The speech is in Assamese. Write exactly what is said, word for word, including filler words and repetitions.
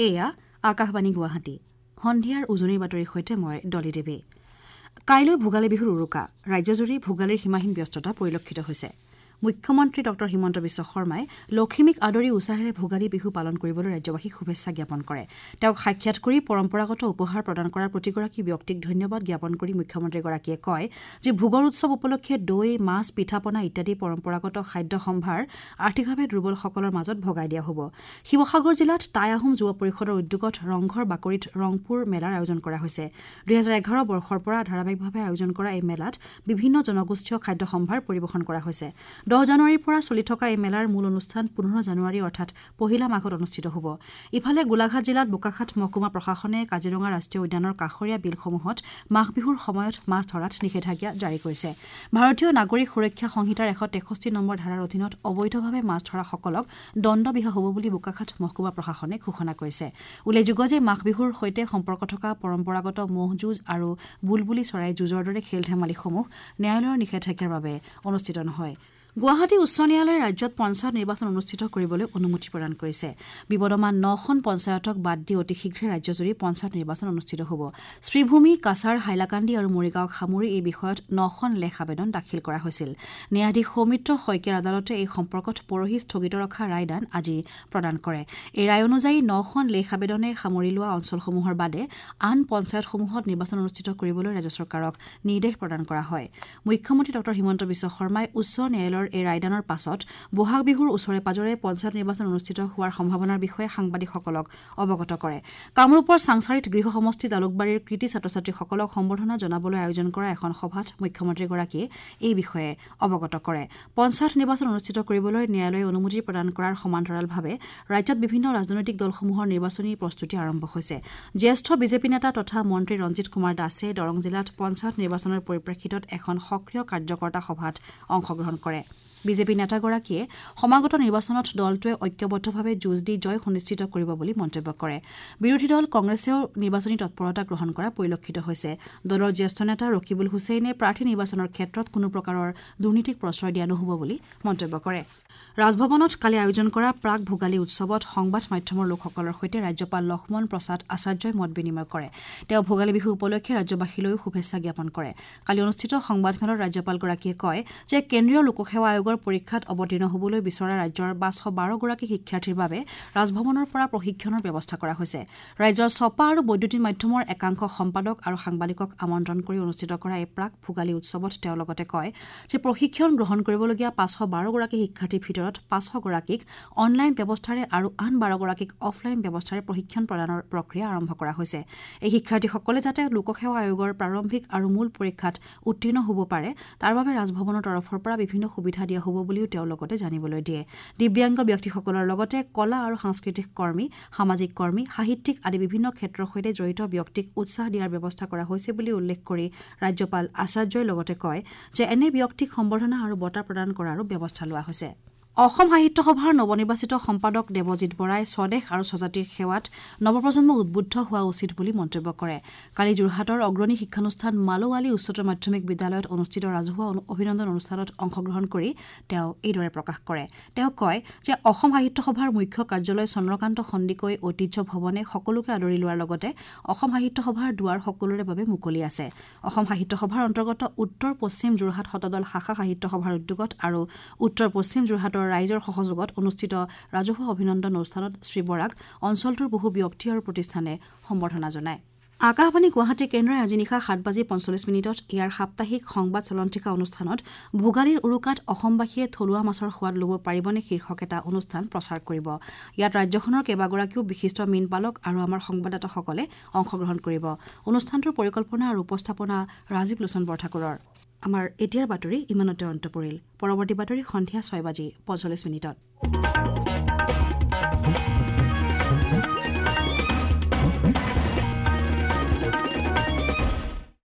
এয়া আকাশবাণী গুৱাহাটী। সন্ধিয়াৰ উজনিৰ বাতৰিৰ সৈতে মই ডলি দেৱী। কাইলৈ ভোগালী বিহুৰ উৰুকা। ৰাজ্যজুৰি ভোগালীৰ সীমাহীন ব্যস্ততা পৰিলক্ষিত হৈছে। মুখ্যমন্ত্ৰী ডঃ হিমন্ত বিশ্ব শৰ্মাই লখিমীক আদৰি উৎসাহেৰে ভোগালী বিহু পালন কৰিবলৈ ৰাজ্যবাসীক শুভেচ্ছা জ্ঞাপন কৰে। তেওঁক সাক্ষাৎ কৰি পৰম্পৰাগত উপহাৰ প্ৰদান কৰা প্ৰতিগৰাকী ব্যক্তিক ধন্যবাদ জ্ঞাপন কৰি মুখ্যমন্ত্ৰীগৰাকীয়ে কয় যে ভোগৰ উৎসৱ উপলক্ষে দৈ, মাছ, পিঠা-পনা ইত্যাদি পৰম্পৰাগত খাদ্য সম্ভাৰ আৰ্থিকভাৱে দুৰ্বলসকলৰ মাজত ভগাই দিয়া হ'ব। শিৱসাগৰ জিলাত টাই আহোম যুৱ পৰিষদৰ উদ্যোগত ৰংঘৰ বাকৰিত ৰংপুৰ মেলাৰ আয়োজন কৰা হৈছে। দুহেজাৰ এঘাৰ বৰ্ষৰ পৰা ধাৰাবাহিকভাৱে আয়োজন কৰা এই মেলাত বিভিন্ন জনগোষ্ঠীয় খাদ্য সম্ভাৰ পৰিৱেশন কৰা হৈছে। দহ জানুৱাৰীৰ পৰা চলি থকা এই মেলাৰ মূল অনুষ্ঠান পোন্ধৰ জানুৱাৰী অৰ্থাৎ পহিলা মাঘত অনুষ্ঠিত হ'ব। ইফালে গোলাঘাট জিলাত বোকাখাত মহকুমা প্ৰশাসনে কাজিৰঙা ৰাষ্ট্ৰীয় উদ্যানৰ কাষৰীয়া বিলসমূহত মাঘ বিহুৰ সময়ত মাছ ধৰাত নিষেধাজ্ঞা জাৰি কৰিছে। ভাৰতীয় নাগৰিক সুৰক্ষা সংহিতাৰ এশ তেষষ্ঠি নম্বৰ ধাৰাৰ অধীনত অবৈধভাৱে মাছ ধৰাসকলক দণ্ড বিহা হ'ব বুলি বোকাখাত মহকুমা প্ৰশাসনে ঘোষণা কৰিছে। উল্লেখযোগ্য যে মাঘ বিহুৰ সৈতে সম্পৰ্ক থকা পৰম্পৰাগত ম'হ যুঁজ আৰু বুলবুলি চৰাই যুঁজৰ দৰে খেল ধেমালিসমূহ ন্যায়ালয়ৰ নিষেধাজ্ঞাৰ বাবে অনুষ্ঠিত নহয়। গুৱাহাটী উচ্চ ন্যায়ালয়ে ৰাজ্যত পঞ্চায়ত নিৰ্বাচন অনুষ্ঠিত কৰিবলৈ অনুমতি প্ৰদান কৰিছে। বিবদমান নখন পঞ্চায়তক বাদ দি অতি শীঘ্ৰে ৰাজ্যজুৰি পঞ্চায়ত নিৰ্বাচন অনুষ্ঠিত হ'ব। শ্ৰীভূমি, কাছাৰ, হাইলাকান্দি আৰু মৰিগাঁৱক সামৰি এই বিষয়ত নখন লেখ আবেদন দাখিল কৰা হৈছিল। ন্যায়াধীশ সৌমিত্ৰ শইকীয়াৰ আদালতে এই সম্পৰ্কত পৰহি স্থগিত ৰখা ৰায়দান আজি প্ৰদান কৰে। এই ৰায় অনুযায়ী নখন লেখ আবেদনে সামৰি লোৱা অঞ্চলসমূহৰ বাদে আন পঞ্চায়তসমূহত নিৰ্বাচন অনুষ্ঠিত কৰিবলৈ ৰাজ্য চৰকাৰক নিৰ্দেশ প্ৰদান কৰা হয়। মুখ্যমন্ত্ৰী ডঃ হিমন্ত বিশ্ব শৰ্মাই উচ্চ ন্যায়ালয়ৰ এই ৰায়দানৰ পাছত বহাগ বিহুৰ ওচৰে পাজৰে পঞ্চায়ত নিৰ্বাচন অনুষ্ঠিত হোৱাৰ সম্ভাৱনাৰ বিষয়ে সাংবাদিকসকলক অৱগত কৰে। কামৰূপৰ চাংসাৰিত গৃহ সমষ্টি জালুকবাৰীৰ কৃতী ছাত্ৰ ছাত্ৰীসকলক সম্বৰ্ধনা জনাবলৈ আয়োজন কৰা এখন সভাত মুখ্যমন্ত্ৰীগৰাকীয়ে এই বিষয়ে অৱগত কৰে। পঞ্চায়ত নিৰ্বাচন অনুষ্ঠিত কৰিবলৈ ন্যায়ালয়ে অনুমতি প্ৰদান কৰাৰ সমান্তৰালভাৱে ৰাজ্যত বিভিন্ন ৰাজনৈতিক দলসমূহৰ নিৰ্বাচনী প্ৰস্তুতি আৰম্ভ হৈছে। জ্যেষ্ঠ বিজেপি নেতা তথা মন্ত্ৰী ৰঞ্জিত কুমাৰ দাসে দৰং জিলাত পঞ্চায়ত নিৰ্বাচনৰ পৰিপ্ৰেক্ষিতত এখন সক্ৰিয় কাৰ্যকৰ্তা সভাত অংশগ্ৰহণ কৰে। বিজেপি নেতাগৰাকীয়ে সমাগত নিৰ্বাচনত দলটোৱে ঐক্যবদ্ধভাৱে যুঁজ দি জয় সুনিশ্চিত কৰিব বুলি মন্তব্য কৰে। বিৰোধী দল কংগ্ৰেছেও নিৰ্বাচনী তৎপৰতা গ্ৰহণ কৰা পৰিলক্ষিত হৈছে। দলৰ জ্যেষ্ঠ নেতা ৰকিবুল হুছেইনে প্ৰাৰ্থী নিৰ্বাচনৰ ক্ষেত্ৰত কোনো প্ৰকাৰৰ দুৰ্নীতিক প্ৰশ্ৰয় দিয়া নহ'ব বুলি মন্তব্য কৰে। ৰাজভৱনত কালি আয়োজন কৰা প্ৰাক ভোগালী উৎসৱত সংবাদ মাধ্যমৰ লোকসকলৰ সৈতে ৰাজ্যপাল লক্ষ্মণ প্ৰসাদ আচাৰ্যই মত বিনিময় কৰে। তেওঁ ভোগালী বিহু উপলক্ষে ৰাজ্যবাসীলৈও শুভেচ্ছা জ্ঞাপন কৰে। কালি অনুষ্ঠিত সংবাদমেলত ৰাজ্যপালগৰাকীয়ে কয় যে কেন্দ্ৰীয় লোকসেৱা আয়োগৰ পৰীক্ষাত অৱতীৰ্ণ হ'বলৈ বিচৰা ৰাজ্যৰ পাঁচশ বাৰগৰাকী শিক্ষাৰ্থীৰ বাবে ৰাজভৱনৰ পৰা প্ৰশিক্ষণৰ ব্যৱস্থা কৰা হৈছে। ৰাজ্যৰ ছপা আৰু বৈদ্যুতিন মাধ্যমৰ একাংশ সম্পাদক আৰু সাংবাদিকক আমন্ত্ৰণ কৰি অনুষ্ঠিত কৰা এই প্ৰাক ভোগালী উৎসৱত তেওঁ লগতে কয় যে প্ৰশিক্ষণ গ্ৰহণ কৰিবলগীয়া পাঁচশ বাৰগৰাকী শিক্ষাৰ্থীৰ ভিতৰত পাঁচশগৰাকীক অনলাইন ব্যৱস্থাৰে আৰু আন বাৰগৰাকীক অফলাইন ব্যৱস্থাৰে প্ৰশিক্ষণ প্ৰদানৰ প্ৰক্ৰিয়া আৰম্ভ কৰা হৈছে। এই শিক্ষাৰ্থীসকলে যাতে লোকসেৱা আয়োগৰ প্ৰাৰম্ভিক আৰু মূল পৰীক্ষাত উত্তীৰ্ণ হ'ব পাৰে তাৰ বাবে ৰাজভৱনৰ তৰফৰ পৰা বিভিন্ন সুবিধা দিয়া হ'ব বুলিও তেওঁ লগতে জানিবলৈ দিয়ে। দিব্যাংগ ব্যক্তিসকলৰ লগতে কলা আৰু সাংস্কৃতিক কৰ্মী, সামাজিক কৰ্মী, সাহিত্যিক আদি বিভিন্ন ক্ষেত্ৰৰ সৈতে জড়িত ব্যক্তিক উৎসাহ দিয়াৰ ব্যৱস্থা কৰা হৈছে বুলি উল্লেখ কৰি ৰাজ্যপাল আচাৰ্যই লগতে কয় যে এনে ব্যক্তিক সম্বৰ্ধনা আৰু বঁটা প্ৰদান কৰাৰো ব্যৱস্থা লোৱা হৈছে। অসম সাহিত্য সভাৰ নৱনিৰ্বাচিত সম্পাদক দেৱজিৎ বৰাই স্বদেশ আৰু স্বজাতিৰ সেৱাত নৱপ্ৰজন্ম উদ্বুদ্ধ হোৱা উচিত বুলি মন্তব্য কৰে। কালি যোৰহাটৰ অগ্ৰণী শিক্ষানুষ্ঠান মালৌআলি উচ্চতৰ মাধ্যমিক বিদ্যালয়ত অনুষ্ঠিত ৰাজহুৱা অভিনন্দন অনুষ্ঠানত অংশগ্ৰহণ কৰি তেওঁ এইদৰে প্ৰকাশ কৰে। তেওঁ কয় যে অসম সাহিত্য সভাৰ মুখ্য কাৰ্যালয় চন্দ্ৰকান্ত সন্দিকৈ ঐতিহ্য ভৱনে সকলোকে আদৰি লোৱাৰ লগতে অসম সাহিত্য সভাৰ দুৱাৰ সকলোৰে বাবে মুকলি আছে। অসম সাহিত্য সভাৰ অন্তৰ্গত উত্তৰ পশ্চিম যোৰহাট শতদল শাখা সাহিত্য সভাৰ উদ্যোগত আৰু উত্তৰ পশ্চিম যোৰহাটৰ ৰাইজৰ সহযোগত অনুষ্ঠিত ৰাজহুৱা অভিনন্দন অনুষ্ঠানত শ্ৰীবৰাক অঞ্চলটোৰ বহু ব্যক্তি আৰু প্ৰতিষ্ঠানে সম্বৰ্ধনা জনায়। আকাশবাণী গুৱাহাটী কেন্দ্ৰই আজি নিশা সাত বাজি পঞ্চল্লিছ মিনিটত ইয়াৰ সাপ্তাহিক সংবাদ চলন্তিকা অনুষ্ঠানত ভোগালীৰ উৰুকাত অসমবাসীয়ে থলুৱা মাছৰ সোৱাদ ল'ব পাৰিবনে শীৰ্ষক এটা অনুষ্ঠান প্ৰচাৰ কৰিব। ইয়াত ৰাজ্যখনৰ কেইবাগৰাকীও বিশিষ্ট মীনপালক আৰু আমাৰ সংবাদদাতাসকলে অংশগ্ৰহণ কৰিব। অনুষ্ঠানটোৰ পৰিকল্পনা আৰু উপস্থাপনা ৰাজীৱ লোচন বৰঠাকুৰৰ। আমাৰ এতিয়াৰ বাতৰি ইমানতে অন্ত পৰিল। পৰৱৰ্তী বাতৰি সন্ধিয়া ছয় বাজি পঞ্চল্লিছ মিনিটত।